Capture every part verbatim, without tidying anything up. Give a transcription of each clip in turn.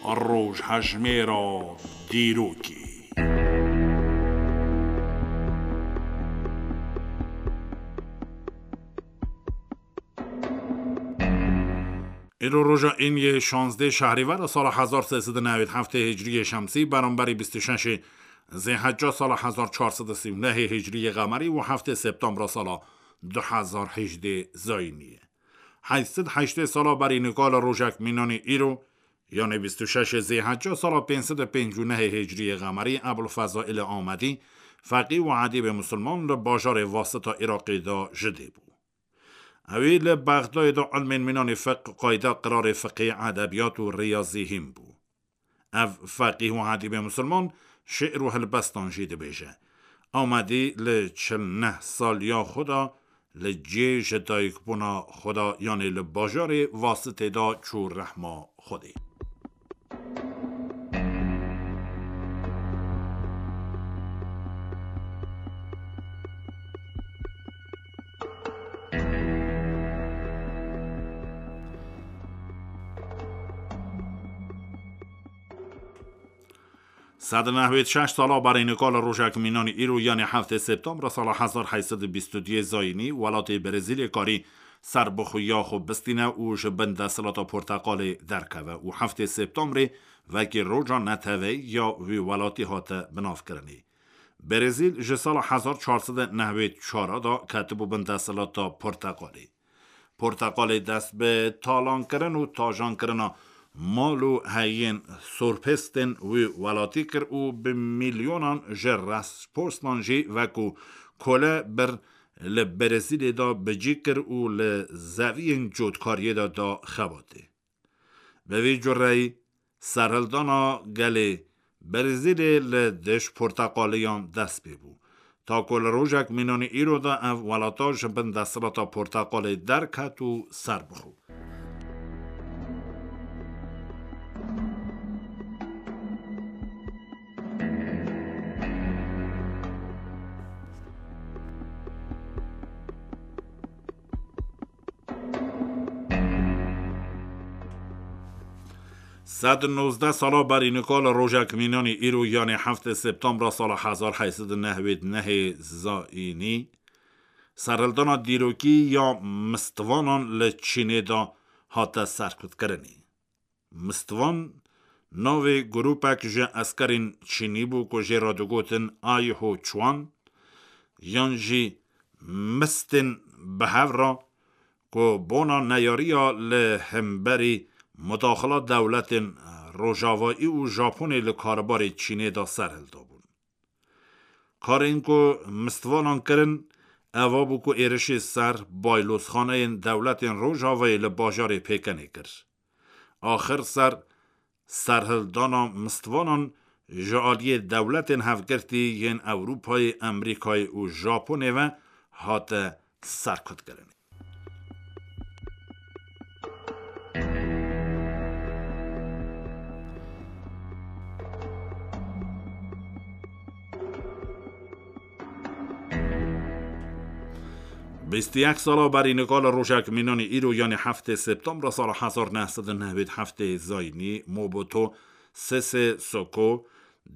Rojhejmêra dîrokê. Îro roja îniyê şazdeh şehrîvera sala hezar sê sed û newêd heftê hicriyê şemsî, beramberî bîst û şeşê zêhecca sala hezar çar sed û sî û nehê hicriyê qemerî û heftê septembra sala du hezar hejdê zayînî ye. Heyt sed heştê sala berî nika li rojek mînanî îro, yanê bîst û şeşê zêhecca sala pênc sed û pêncî û nehê hicriyê qemerî, Ebul Fezaîlê Amedî, feqî û edîbê misilman, li bajarê Wasita Iraqê de ji dê bû. Ewî li Bexdayê de ilmên mînanî fiqh, qayda, qirarê fiqhê, edebiyat û riyazî hîn bû. Ev feqîh û edîbê misilman şi'r û hilbestan jî dibêje. Amedî li çil neh saliya xwe de li cihê ji dayikbûna xwe de, yanê li bajarê Wasitê de çû rehma Xwedê. Sed û nehwêd şeş sala berî nika li rojek mînanî îro, yanê heftê septembra sala hezar heyt sed û bîst û duyê zayînî, welatê Brezîlê karî serbixweya xwe bistîne û ji bin desthilata Porteqalê derkeve û heftê septembrê wekî roja neteweyî ya wî welatî hate binavkirinê. Brezîl ji sala hezar çar sed û nehwêd çar de ketibû bin desthilata Porteqalê. Porteqalê dest bi talankirin û tajankirina mal û heyên sorpêstên wî welatî kir û bi milyonan ji restporstan jî wekû kole bir li Brezîlê de bi cî kir û li zeviyên cotkariyê de da xebatê. Bi vî cureyî, serhildana gelê Brezîlê li dij porteqaliyan dest pê bû. Ta ku li rojek mînanî îro de ev welata ji bin desthilata porteqalê derket û serbixwe. Sed û nozdeh sala berî nika li rojek mînanî îro, yanê heftê septembra sala hezar heyt sed û nehwêd nehê zayînî, serhildana dîrokî ya mistvanan li Çînê de hate serkutkirinê. Mistvan navê grûpek ji eskerên Çînî bû ku jê re digotin Aiho Chuan, yan jî mistên bi hev re, ku bona neyariya li hemberî mudaxila dewletên Rojavayî û Japonê li karbarê Çînê de serhildabûn. Karên ku mistvanan kirin, eva bû ku êrişê ser baylozxaneyên dewletên Rojavayê li bajarê Pêkenê kir. Axir ser serhildana mistvanan ji aliyê dewletên hevgirtî yên Ewropayê, Amerîkayê û Japonê ve hate serkutkirinê. Bîst û yek sala berî nika li rojek mînanî îro, yanî heftê septembra sala hezar neh sed û nehwêd heftê zayînî, Mobutu Sese Seko,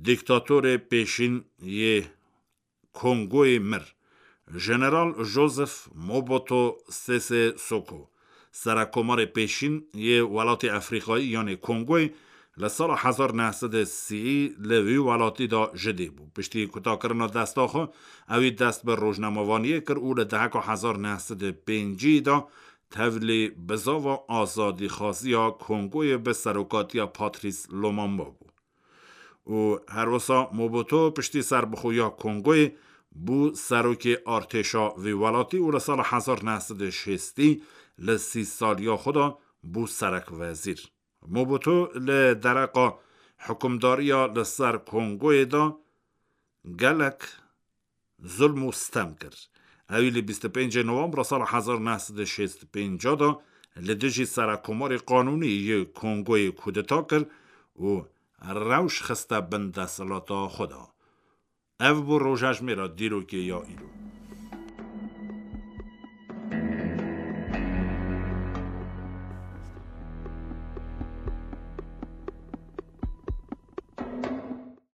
dîktatorê pêşîn yê Kongoyê mir, Jeneral Joseph Mobutu Sese Seko, serekkomarê pêşîn yê welatê Efrîkayî, yanê Kongoyê, li sala hezar neh sed û sî li wî welatî de ji dê bû. Piştî kutakirina desta xwe, ewî dest bi rojnamevaniyê kir û li deheka hezar neh sed û pêncî de tevlî bizava azadîxwaziya Kongoyê bi serokatiya Patrice Lumumba bû. Û herwisa Mobutu piştî serbixweya Kongoyê bû serokê artêşa vî welatî û li sala hezar neh sed û şêstî li sî saliya xwe de bû serekvezîr. Mobutu li dereqa hikûmdariya li ser Kongoyê de gelek zulm û stem kir. Ewî li bîst û pêncê Novembra sala hezar neh sed û şêst û pênc de li dijî serekkomarê qanûnî yê Kongoyê kudeta kir û rewş xiste bin desthilata xwe de. Ev bû rojejmêra dîrokê ya îro.